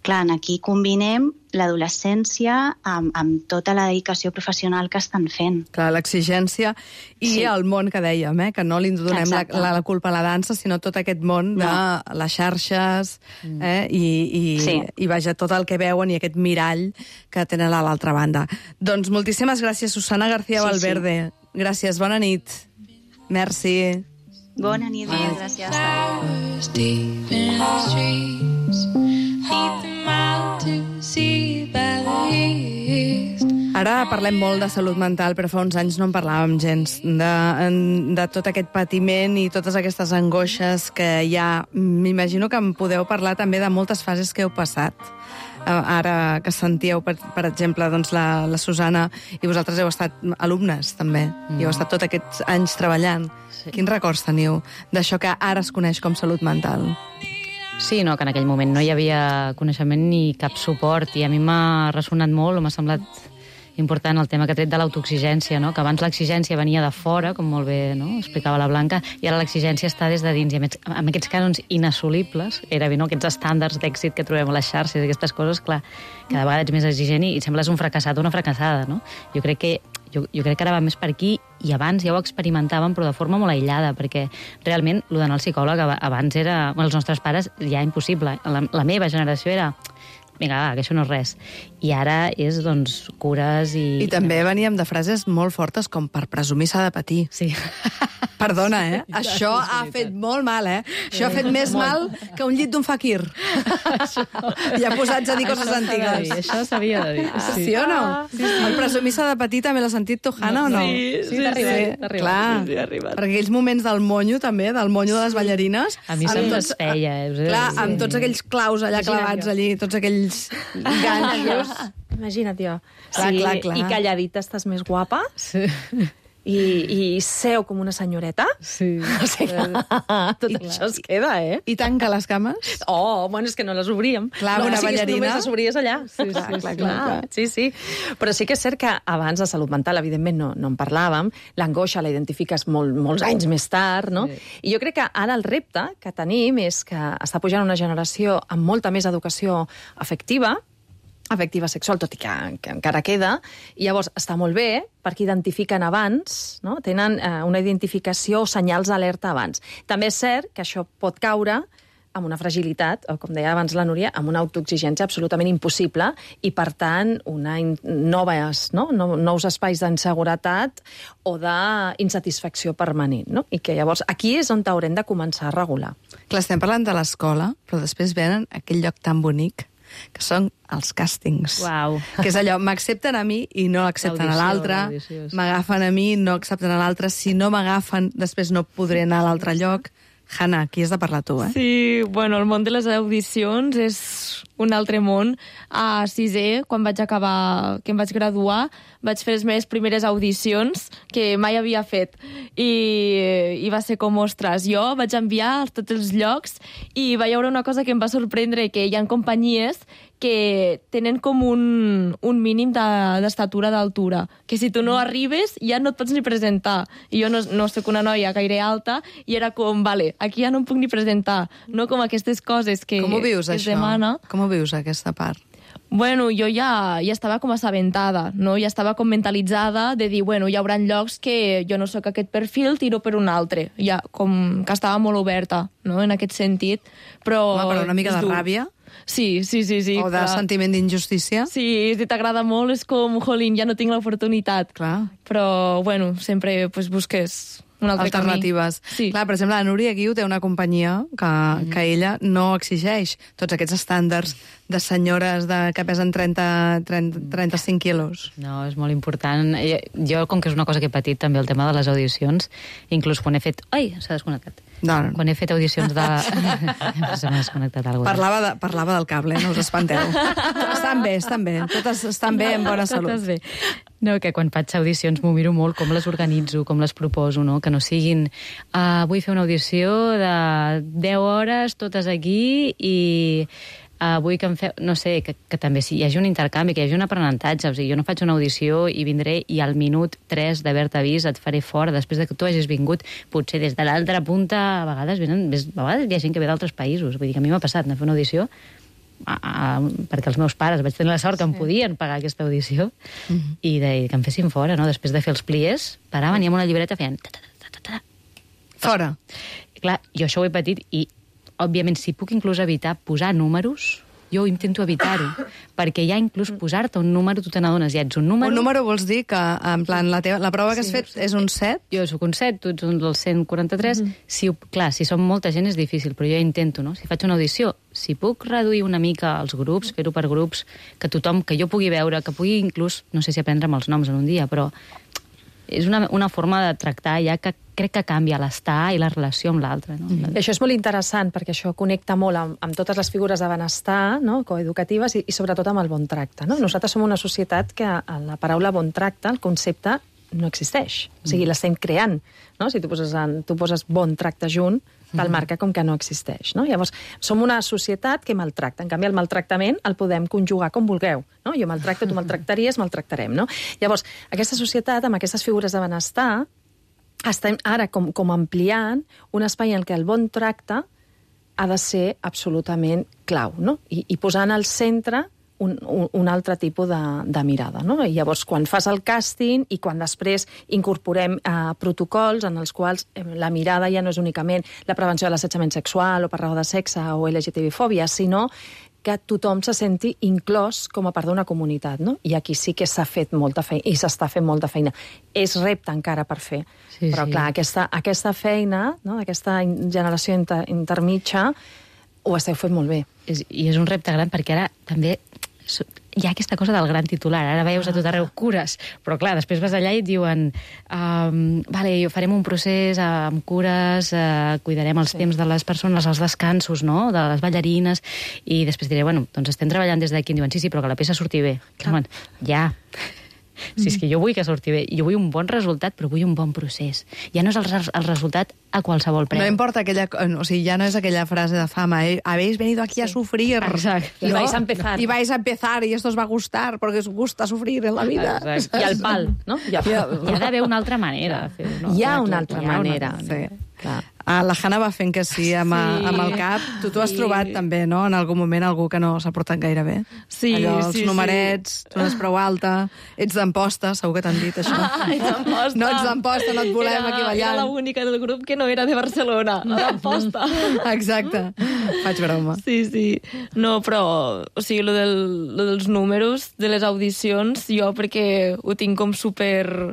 clar, aquí combinem l'adolescència amb, amb tota la dedicació professional que estan fent. Clar, l'exigència i sí. el món que dèiem, eh? Que no li donem la, la, la culpa a la dansa, sinó tot aquest món no. de les xarxes eh? I, i, sí. i vaja, tot el que veuen i aquest mirall que tenen a l'altra banda. Doncs moltíssimes gràcies, Susana García sí, Valverde. Sí. Gràcies, bona nit. Merci. Bona nit, gràcies. Ara parlem molt de salut mental, però fa uns anys no en parlàvem gens de, de tot aquest patiment i totes aquestes angoixes que hi ha. M'imagino que em podeu parlar també de moltes fases que heu passat. Ara que sentíeu, per, per exemple, doncs la, la Susana, i vosaltres heu estat alumnes, també, mm. i heu estat tots aquests anys treballant. Sí. Quins records teniu d'això que ara es coneix com salut mental? Sí, no, que en aquell moment no hi havia coneixement ni cap suport, i a mi m'ha ressonat molt, o m'ha semblat important el tema que ha tret de l'autoexigència, no? Que abans l'exigència venia de fora, com molt bé no? explicava la Blanca, i ara l'exigència està des de dins, i amb, amb aquests cànons inassolibles, era bé, no? Aquests estàndards d'èxit que trobem a les xarxes, aquestes coses, clar, cada vegada ets més exigent i et sembles un fracassat o una fracassada, no? Jo crec que jo, jo crec que ara va més per aquí, i abans ja ho experimentàvem, però de forma molt aïllada, perquè realment el d'anar al psicòleg abans era... Bueno, els nostres pares ja impossible. La, la meva generació era... Vinga, va, que això no és res. I ara és, doncs, cures i... I també veníem de frases molt fortes com per presumir s'ha de patir. Sí. Perdona, eh? Sí, això ha fet molt mal, eh? Això ha fet més mal que un llit d'un faquir. Ja posats a dir coses antigues. Això s'havia de dir. Sí, sí o no? Sí, sí. El presumir s'ha de patir també l'ha sentit tu, Hanna, o no? Sí, sí, t'ha arribat. Sí, clar. Sí, arribat. Perquè aquells moments del monyo, també, del monyo de les ballarines... A mi se'm desfeia. Eh? Clar, amb tots aquells claus allà clavats allí, tots aquells ganxos. Imagina't jo. Clar, sí, clar, clar. I calladita estàs més guapa. Sí. I, i seu com una senyoreta. Sí. O sigui, tot I, això es queda, eh? I tanca les cames? Oh, bueno, és que no les obríem. Clar, no, una o sigui, ballarina... Només les obries allà. Sí, clar, sí, clar, clar, clar. Sí, sí. Però sí que és cert que abans de salut mental, evidentment, no, no en parlàvem. L'angoixa la identifiques molt, molts anys més tard, no? Sí. I jo crec que ara el repte que tenim és que està pujant una generació amb molta més educació afectiva, afectiva sexual, tot i que, que encara queda, i llavors està molt bé perquè identifiquen abans, no? Tenen eh, una identificació o senyals d'alerta abans. També és cert que això pot caure amb una fragilitat, o com deia abans la Núria, amb una autoexigència absolutament impossible i, per tant, una in noves, no? No, nous espais d'inseguretat o d'insatisfacció permanent. No? I que llavors aquí és on haurem de començar a regular. Clar, estem parlant de l'escola, però després venen aquell lloc tan bonic que són els càstings. Uau. Que és allò, m'accepten a mi i no accepten a l'altre, m'agafen a mi i no accepten a l'altre, si no m'agafen després no podré anar a l'altre lloc. Hanna, aquí has de parlar tu, eh? Sí, bueno, el món de les audicions és un altre món. A sisè, quan vaig acabar, que em vaig graduar, vaig fer les meves primeres audicions, que mai havia fet. I, i va ser com, ostres, jo vaig enviar a tots els llocs i va hi haure una cosa que em va sorprendre, que hi ha companyies que tenen com un, un mínim d'estatura de, d'altura, que si tu no arribes ja no et pots ni presentar. I jo no, no soc una noia gaire alta i era com, vale, aquí ja no em puc ni presentar. No com aquestes coses que, Com ho vius, que es això? demana. Com ho vius, aquesta part? Bueno, jo ja, ja estava com assabentada, no? Ja estava com mentalitzada de dir, bueno, hi haurà llocs que jo no sóc aquest perfil, tiro per un altre. Ja, com que estava molt oberta, no?, en aquest sentit. Però, Home, però una mica de ràbia? Sí, sí, sí. sí o de clar. Sentiment d'injustícia? Sí, si t'agrada molt és com, jolín, ja no tinc l'oportunitat. Clar. Però, bueno, sempre pues, busques un altre alternatives. camí. Sí. Clar, per exemple, la Núria Guiu té una companyia que, mm. que ella no exigeix tots aquests estàndards de senyores de, que pesen trenta, trenta, trenta-cinc quilos. No, és molt important. Jo, com que és una cosa que he patit també, el tema de les audicions, inclús quan he fet... Ai, s'ha desconnectat. No, no. Quan he fet audicions de... Se m'ha desconnectat alguna cosa. Parlava, de, parlava del cable, no us espanteu. Estan bé, estan bé. Totes estan bé, en bona salut. Totes bé. No, que quan faig audicions m'ho miro molt, com les organitzo, com les proposo, no? Que no siguin... Uh, vull fer una audició de deu hores, totes aquí, i... Uh, vull que em feu... No sé, que, que també si hi hagi un intercanvi, que hi hagi un aprenentatge. O sigui, jo no faig una audició i vindré i al minut tres d'haver-te vist et faré fora, després de que tu hagis vingut, potser des de l'altra punta, a vegades venen... A vegades hi ha gent que ve d'altres països. Vull dir que a mi m'ha passat anar a fer una audició a, a, perquè els meus pares vaig tenir la sort que sí. em podien pagar aquesta audició mm-hmm. i, de, i que em fessin fora, no? Després de fer els pliers, paraven i amb una llibreta feien... Ta, ta, ta, ta, ta. Fora. I, clar, jo això ho he patit i òbviament, si puc inclús evitar posar números, jo intento evitar-ho, perquè ja inclús posar-te un número, tu te n'adones, ja ets un número... Un número vols dir que, en plan, la, teva, la prova que has sí, fet sí. és un set? Jo soc un set, tu ets un del cent quaranta-tres. Mm-hmm. Si, clar, si som molta gent és difícil, però jo intento, no? Si faig una audició, si puc reduir una mica els grups, fer-ho per grups, que tothom, que jo pugui veure, que pugui inclús, no sé si aprendre'm els noms en un dia, però és una, una forma de tractar ja que crec que canvia l'estar i la relació amb l'altre. No? Mm-hmm. I això és molt interessant, perquè això connecta molt amb, amb totes les figures de benestar, no? Coeducatives, i, i sobretot amb el bon tracte. No? Nosaltres som una societat que la paraula bon tracte, el concepte, no existeix. O sigui, l'estem creant. No? Si tu poses, en, tu poses bon tracte junt, te'l marca com que no existeix. No? Llavors, som una societat que maltracta. En canvi, el maltractament el podem conjugar com vulgueu. No? Jo maltracto, tu maltractaries, maltractarem. No? Llavors, aquesta societat, amb aquestes figures de benestar, estem ara com, com ampliant un espai en què el bon tracte ha de ser absolutament clau, no? I, i posant al centre un, un, un altre tipus de, de mirada, no? I llavors, quan fas el càsting i quan després incorporem eh, protocols en els quals eh, la mirada ja no és únicament la prevenció de l'assetjament sexual o per raó de sexe o L G T B-fòbia, sinó que tothom se senti inclòs com a part d'una comunitat, no? I aquí sí que s'ha fet molta feina, i s'està fent molta feina. És repte encara per fer. Sí, però, sí. clar, aquesta, aquesta feina, no? Aquesta generació inter, intermitja, ho esteu fent molt bé. És, I és un repte gran perquè ara també hi ha aquesta cosa del gran titular. Ara veus a tot arreu cures, però clar, després vas allà i et diuen um, vale, farem un procés amb cures, uh, cuidarem els sí. temps de les persones, els descansos, no?, de les ballarines, i després diré, bueno, doncs estem treballant des d'aquí, i diuen, sí, sí, però que la peça surti bé. Clar. Ja... Si és que jo vull que surti bé, jo vull un bon resultat, però vull un bon procés. Ja no és el, res, el resultat a qualsevol preu. No importa aquella... O sigui, ja no és aquella frase de fama, eh? Habéis venido aquí a sufrir. Exacte. Y vais a empezar. Y vais a empezar, y esto os va a gustar, porque os gusta sufrir en la vida. Exacte. I el pal, no? Hi ha, hi ha d'haver una altra manera de fer-ho. No? Hi ha una altra manera. Sí. Clar. Ah, la Hanna va fent que sí amb, sí. amb el cap. Tu t'ho has sí. trobat també, no?, en algun moment algú que no s'ha portat gaire bé. Sí, allò, els sí, numerets, sí. tu n'és prou alta, ets d'Amposta, segur que t'han dit això. Ah, ets d'Amposta. No ets d'Amposta, no et volem era, aquí ballant. Era l'única del grup que no era de Barcelona, no d'Amposta. Exacte. Faig broma. Sí, sí. No, però, o sigui, lo, del, lo dels números de les audicions, jo perquè ho tinc com super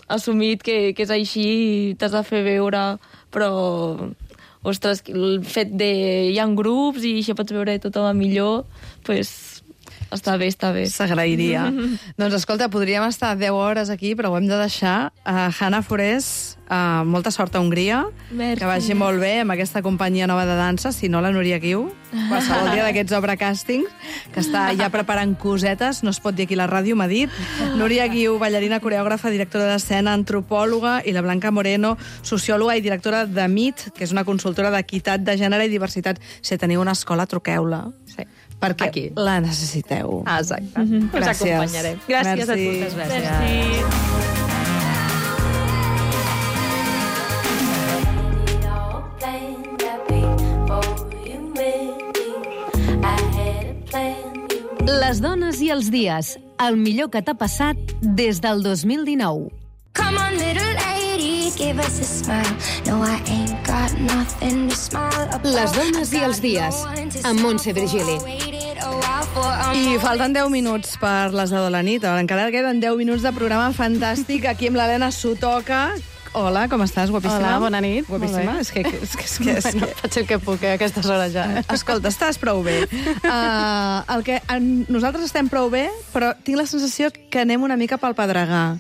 assumit que, que és així i t'has de fer veure, però ostres, el fet de hi ha grups i això pots veure tothom millor, pues està bé, està bé. S'agrairia. Doncs escolta, podríem estar deu hores aquí, però ho hem de deixar. Uh, Hanna Forés, uh, molta sort a Hongria. Merci. Que vagi molt bé amb aquesta companyia nova de dansa, si no la Núria Guiu, qualsevol dia d'aquests obra càstings, que està ja preparant cosetes, no es pot dir aquí a la ràdio, m'ha dit. Núria Guiu, ballarina, coreògrafa, directora d'escena, antropòloga, i la Blanca Moreno, sociòloga i directora de M I T, que és una consultora d'equitat de gènere i diversitat. Si teniu una escola, truqueu-la. Sí. Perquè aquí la necessiteu. Ah, exacte. Mm-hmm. Us gràcies. acompanyarem. Gràcies Merci. a totes. Gràcies. Merci. Les dones i els dies. El millor que t'ha passat des del dos mil dinou. Come on, little lady, give us a smile. No, I ain't got nothing to smile about. Les dones i els dies, amb Montse Virgili. I falten deu minuts per les deu de la nit. Encara queden deu minuts de programa fantàstic aquí amb l'Helena Sotoca. Hola, com estàs, guapíssima? Hola, bona nit. Guapíssima? És que, és que, és que, és que... Bueno, faig el que puc, eh, a aquestes hores ja. Eh? Escolta, estàs prou bé. Uh, el que, en, nosaltres estem prou bé, però tinc la sensació que anem una mica pel pedregar.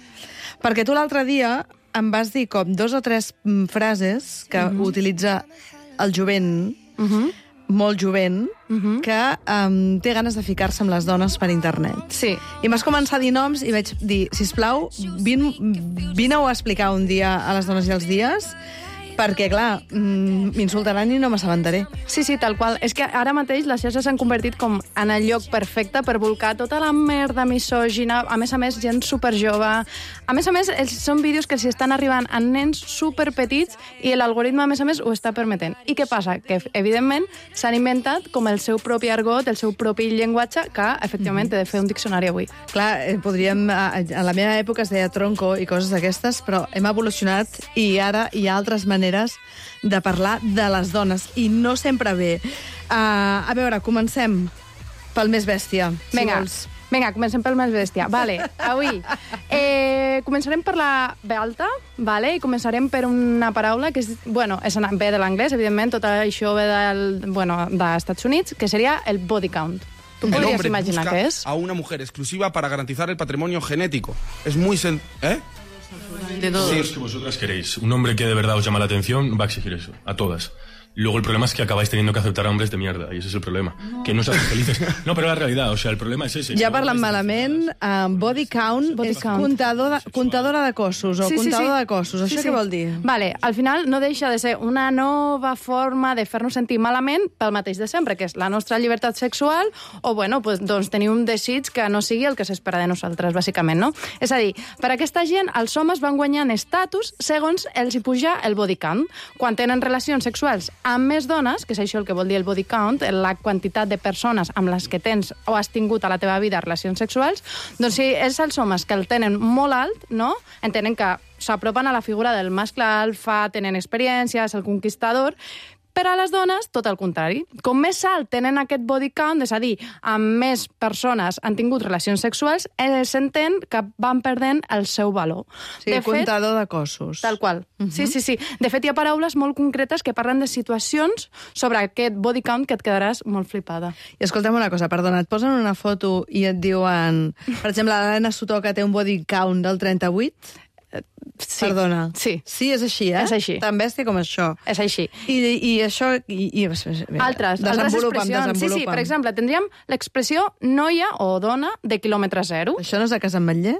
Perquè tu l'altre dia em vas dir com dos o tres frases que uh-huh. utilitza el jovent, uh-huh. molt jovent, uh-huh. que um, té ganes de ficar-se amb les dones per internet. Sí. I m'has començat a dir noms i vaig dir, sisplau, vine, vine-ho a explicar un dia a les dones i els dies, perquè, clar, m'insultaran i no m'assabentaré. Sí, sí, tal qual. És que ara mateix les xarxes s'han convertit com en el lloc perfecte per volcar tota la merda misògina, a més a més, gent superjove. A més a més, els, són vídeos que s'hi estan arribant a nens superpetits i l'algoritme, a més a més, ho està permetent. I què passa? Que, evidentment, s'han inventat com el seu propi argot, el seu propi llenguatge, que, efectivament, mm-hmm. he de fer un diccionari avui. Clar, podríem... A, a la meva època es deia tronco i coses d'aquestes, però hem evolucionat i ara hi ha altres maneres de parlar de les dones, i no sempre bé. Uh, a veure, comencem pel més bèstia, si Vinga. vols. Vinga, comencem pel més bèstia. Vale, avui eh, començarem per la B alta, vale? I començarem per una paraula que és, bueno, és ve de l'anglès, evidentment, tot això ve del, bueno, dels Estats Units, que seria el body count. ¿Tú el podrías hombre imaginar busca qué es? a una mujer exclusiva para garantizar el patrimonio genético. Es muy... Sen ¿Eh? De todo. Sí, es que vosotras queréis. Un hombre que de verdad os llama la atención va a exigir eso, a todas. Luego el problema es que acabáis teniendo que aceptar a hombres de mierda, y ese es el problema. No. Que no os hacen felices. No, però la realitat, o sea, el problema és ese. Ja parlant malament, uh, body count body és count. Comptador de, comptadora de cossos, o sí, comptador sí, sí. de cossos. Això sí, sí. Què vol dir? Vale, al final no deixa de ser una nova forma de fer-nos sentir malament pel mateix de sempre, que és la nostra llibertat sexual, o, bueno, pues, doncs tenir un desig que no sigui el que s'espera de nosaltres, bàsicament, no? És a dir, per aquesta gent, els homes van guanyant estatus segons els hi puja el body count. Quan tenen relacions sexuals amb més dones, que és això el que vol dir el body count, la quantitat de persones amb les que tens o has tingut a la teva vida relacions sexuals, doncs si és els homes que el tenen molt alt, no? Entenen que s'apropen a la figura del mascle alfa, tenen experiències, el conquistador. Per a les dones, tot el contrari. Com més alt tenen aquest body count, és a dir, amb més persones han tingut relacions sexuals, eh, s'entén que van perdent el seu valor. Sí, de comptador fet, de cossos. Tal qual. Uh-huh. Sí, sí, sí. De fet, hi ha paraules molt concretes que parlen de situacions sobre aquest body count que et quedaràs molt flipada. I escolta'm una cosa, perdona, et posen una foto i et diuen... Per exemple, l'Helena Sotoca té un body count del trenta-vuit... Sí. Perdona. Sí. Sí, és així, eh? És així. Tan bèstia com això. És així. I, i això... I, i, altres, altres expressions. Sí, sí, per exemple, tindríem l'expressió noia o dona de quilòmetre zero. Això no és de Casa Ametller?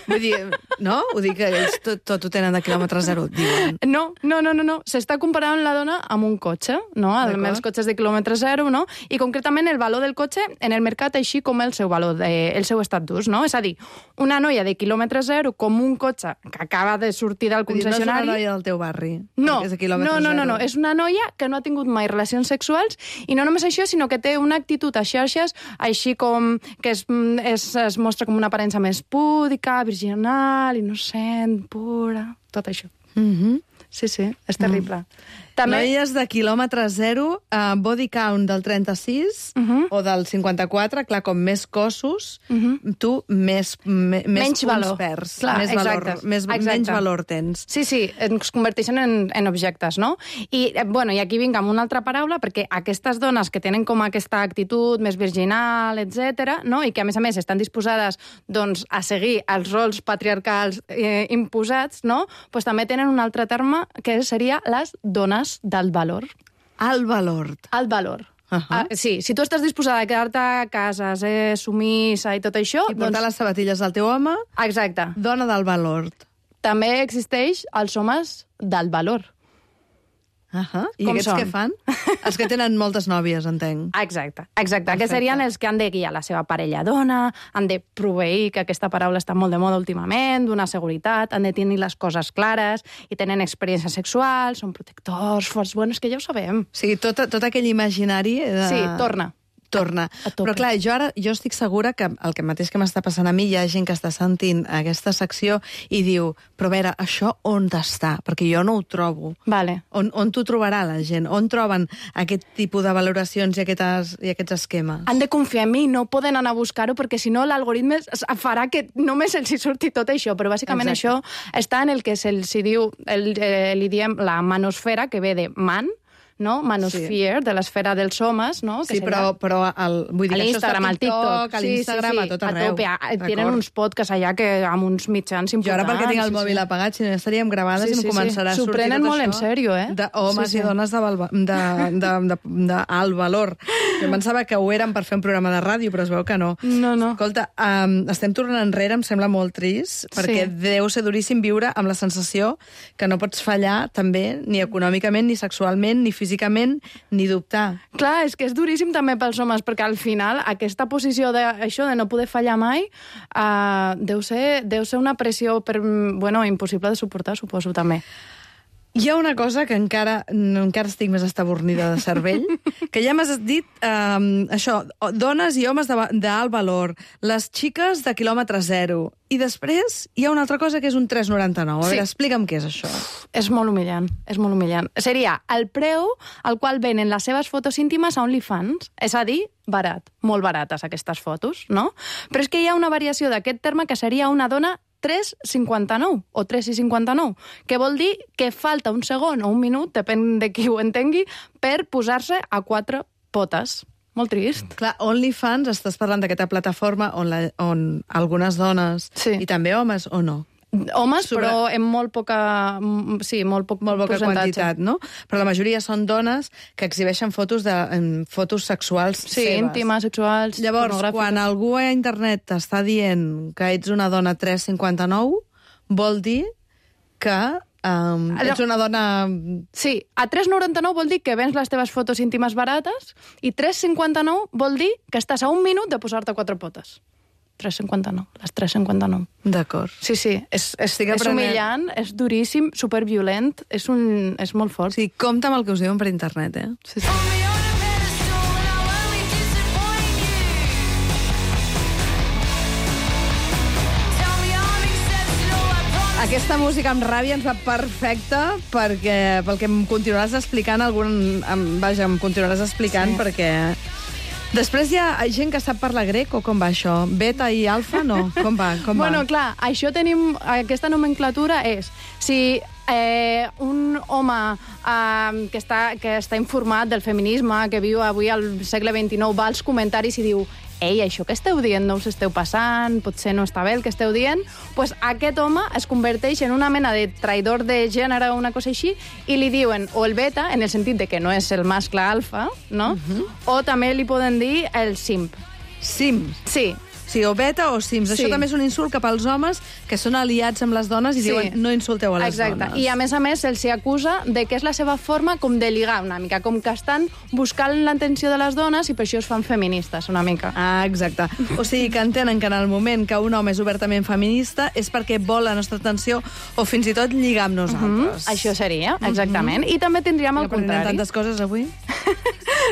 Vull dir, no? Ho dic que ells tot, tot ho tenen de quilòmetre zero, diuen. No, no, no, no, no. S'està comparant la dona amb un cotxe, no? Amb els cotxes de quilòmetre zero, no? I concretament el valor del cotxe en el mercat, així com el seu valor, de, el seu estatus, no? És a dir, una noia de quilòmetre zero com un cotxe que acaba de sortir del concessionari... No és una noia del teu barri, no, és de quilòmetre no, no, zero. No, no, és una noia que no ha tingut mai relacions sexuals i no només això, sinó que té una actitud a xarxes així com que es, es, es mostra com una aparença més púdica, virginal, innocent, pura, tot això. Mm-hmm. Sí, sí, és terrible. Mm. També... Noies de quilòmetre zero, uh, body count del trenta-sis uh-huh. o del cinquanta-quatre, clar, com més cossos, uh-huh. tu més, me, més menys punts valor. perds, clar, més valor, més, menys valor tens. Sí, sí, ens converteixen en, en objectes, no? I, eh, bueno, i aquí vinc amb una altra paraula, perquè aquestes dones que tenen com aquesta actitud més virginal, etcètera, no? I que, a més a més, estan disposades doncs, a seguir els rols patriarcals eh, imposats, no? Pues també tenen un altre terme que seria les dones d'alt valor. Alt valor. Alt valor. Uh-huh. Ah, sí, si tu estàs disposada a quedar-te a casa, ser sumissa i tot això... I portar doncs... les sabatilles al teu home... Exacte. Dona d'alt valor. També existeix els homes d'alt valor. Uh-huh. I Com aquests són? què fan? Els que tenen moltes nòvies, entenc. Exacte, exacte. Aquests serien els que han de guiar la seva parella dona, han de proveir, que aquesta paraula està molt de moda últimament, d'una seguretat, han de tenir les coses clares i tenen experiència sexual, són protectors, forts, bueno, és que ja ho sabem. O sigui, tot, tot aquell imaginari... De... Sí, torna. torna. Però clar, jo ara jo estic segura que el que mateix que m'està passant a mi, hi ha gent que està sentint aquesta secció i diu, però a veure, això on està? Perquè jo no ho trobo. Vale. On, on t'ho trobarà la gent? On troben aquest tipus de valoracions i aquests, i aquests esquemes? Han de confiar en mi, no poden anar a buscar-ho, perquè si no l'algoritme farà que només els hi surti tot això. Però bàsicament Exacte. Això està en el que se'ls diu, el, eh, li diem la manosfera, que ve de man, no? Manosphere, sí. de l'esfera dels homes, no? Que sí, però, però el, vull dir, això està a TikTok, a l'Instagram, sí, sí, sí. a tot arreu. A tope. Tenen uns podcasts allà que amb uns mitjans importants. Jo ara perquè tinc el mòbil sí, sí. apagat, si no estaríem gravades sí, sí, i em començarà sí. a sortir tot això. S'ho prenen molt en sèrio, eh? De homes sí, sí. i dones d'alt valor. Jo pensava que ho eren per fer un programa de ràdio, però es veu que no. No, no. Escolta, um, estem tornant enrere, em sembla molt trist, perquè sí. deu ser duríssim viure amb la sensació que no pots fallar també, ni econòmicament, ni sexualment, ni físicament, ni dubtar. Clar, és que és duríssim també pels homes, perquè al final aquesta posició de, això de no poder fallar mai uh, deu, ser, deu ser una pressió per, bueno, impossible de suportar, suposo, també. Hi ha una cosa que encara, encara estic més estabornida de cervell, que ja m'has dit, um, això, dones i homes d'alt valor, les xiques de quilòmetre zero, i després hi ha una altra cosa que és un tres coma noranta-nou. A veure, sí. explica'm què és això. És molt humillant, és molt humillant. Seria el preu al qual venen les seves fotos íntimes a OnlyFans, és a dir, barat, molt barates aquestes fotos, no? Però és que hi ha una variació d'aquest terme que seria una dona tres coma cinquanta-nou o tres coma cinquanta-nou, que vol dir que falta un segon o un minut, depèn de qui ho entengui, per posar-se a quatre potes. Molt trist. Clar, OnlyFans, estàs parlant d'aquesta plataforma on, la, on algunes dones sí. i també homes, o no? Homes, sobre... però en molt poca... Sí, molt poc molt poca quantitat, no? Però la majoria són dones que exhibeixen fotos de fotos sexuals sí, seves. íntimes, sexuals, llavors, quan algú a internet t'està dient que ets una dona tres coma cinquanta-nou, vol dir que um, ets una dona... Sí, a tres coma noranta-nou vol dir que vens les teves fotos íntimes barates i tres coma cinquanta-nou vol dir que estàs a un minut de posar-te quatre potes. tres coma cinquanta-nou, les tres coma cinquanta-nou. D'acord. Sí, sí, és, és, és humillant, és duríssim, superviolent, és, un, és molt fort. Sí, compta amb el que us diuen per internet, eh? Sí, sí. Aquesta música amb ràbia ens va perfecta perquè, pel que em continuaràs explicant, algun, em, vaja, em continuaràs explicant sí. perquè... Després hi ha gent que sap parlar grec o com va això? Beta i alfa, no? Com va? Com bueno, va? clar, això tenim... Aquesta nomenclatura és... Si eh, un home eh, que, està, que està informat del feminisme, que viu avui al segle vint-i-nou, va als comentaris i diu ei, això que esteu dient no us esteu passant, potser no està bé el que esteu dient, pues aquest home es converteix en una mena de traïdor de gènere o una cosa així, i li diuen, o el beta, en el sentit de que no és el mascle alfa, no? Uh-huh. O també li poden dir el simp. Simp? Sí. Sí, o beta o sims. Sí. Això també és un insult cap als homes que són aliats amb les dones i sí. diuen no insulteu a les Exacte. dones. I a més a més se'ls acusa de que és la seva forma com de ligar una mica, com que estan buscant l'atenció de les dones i per això es fan feministes una mica. Ah, exacte. O sigui que entenen que en el moment que un home és obertament feminista és perquè vol la nostra atenció o fins i tot lligar amb nosaltres. Mm-hmm. Això seria, exactament. Mm-hmm. I també tindríem el contrari. tantes coses avui.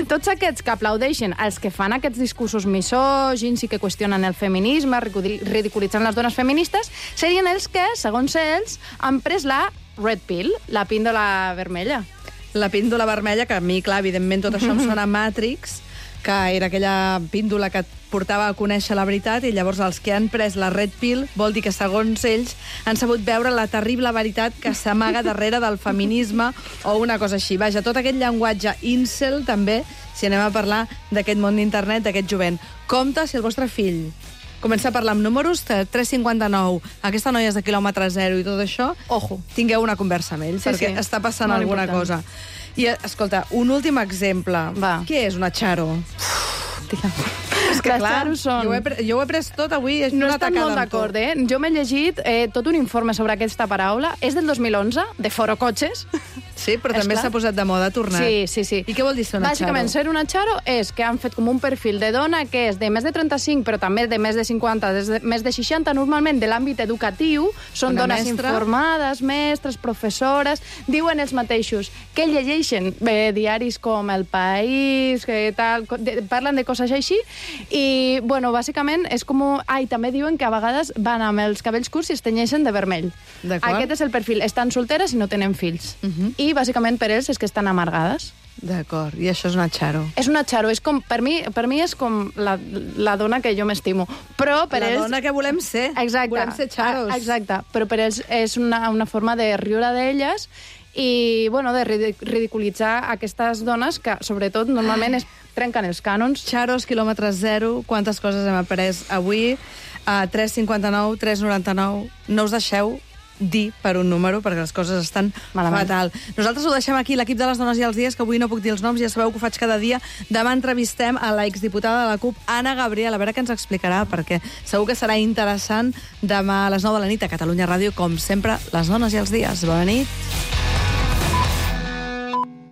Tots aquests que aplaudeixen els que fan aquests discursos misògins i que qüestionen el feminisme, ridiculitzant les dones feministes, serien els que, segons ells, han pres la red pill, la píndola vermella. La píndola vermella, que a mi, clar, evidentment tot això em sona Matrix, que era aquella píndola que et portava a conèixer la veritat, i llavors els que han pres la red pill vol dir que, segons ells, han sabut veure la terrible veritat que s'amaga darrere del feminisme o una cosa així. Vaja, tot aquest llenguatge incel, també, si anem a parlar d'aquest món d'internet, d'aquest jovent. Compte si el vostre fill comença a parlar amb números, tres cinquanta-nou, aquesta noia és de quilòmetre zero i tot això, ojo, tingueu una conversa amb ell, sí, perquè sí. està passant Molt alguna important. cosa. I, escolta, un últim exemple. Va. Què és una xaro? És que, les clar, xaros són... jo, ho he pre jo ho he pres tot avui. És no una estan molt d'acord, eh? Jo m'he llegit eh, tot un informe sobre aquesta paraula. És del dos mil onze, de Foro Cotxes. Sí, però també s'ha posat de moda, ha tornat. Sí, sí, sí. I què vol dir ser una Bàsicament, xaro? ser una xaro és que han fet com un perfil de dona que és de més de trenta-cinc, però també de més de cinquanta, de més de seixanta, normalment de l'àmbit educatiu. Són Una dones mestra. informades, mestres, professores. Diuen els mateixos que llegeixen bé, diaris com El País, que tal, de, parlen de coses així. I, bueno, bàsicament és com... Ah, i també diuen que a vegades van amb els cabells curts i es tenyeixen de vermell. D'acord. Aquest és el perfil. Estan solteres i no tenen fills. Uh -huh. I, bàsicament, per ells és que estan amargades. D'acord, i això és una xaro. És una xaro, és com, per mi, per mi és com la, la dona que jo m'estimo. Però per La ells... dona que volem ser. Exacte. Volem ser xaros. Ah, exacte, però per ells és una, una forma de riure d'elles i, bueno, de ridic- ridiculitzar aquestes dones que, sobretot, normalment es trenquen els cànons. Xaros, quilòmetre zero, quantes coses hem après avui. A tres cinquanta-nou, tres noranta-nou. No us deixeu dir per un número, perquè les coses estan Malament. fatal. Nosaltres ho deixem aquí, l'equip de les Dones i els Dies, que avui no puc dir els noms, ja sabeu que ho faig cada dia. Demà entrevistem a la exdiputada de la CUP, Anna Gabriel, a veure què ens explicarà, perquè segur que serà interessant demà a les nou de la nit a Catalunya Ràdio, com sempre, les Dones i els Dies. Bona nit.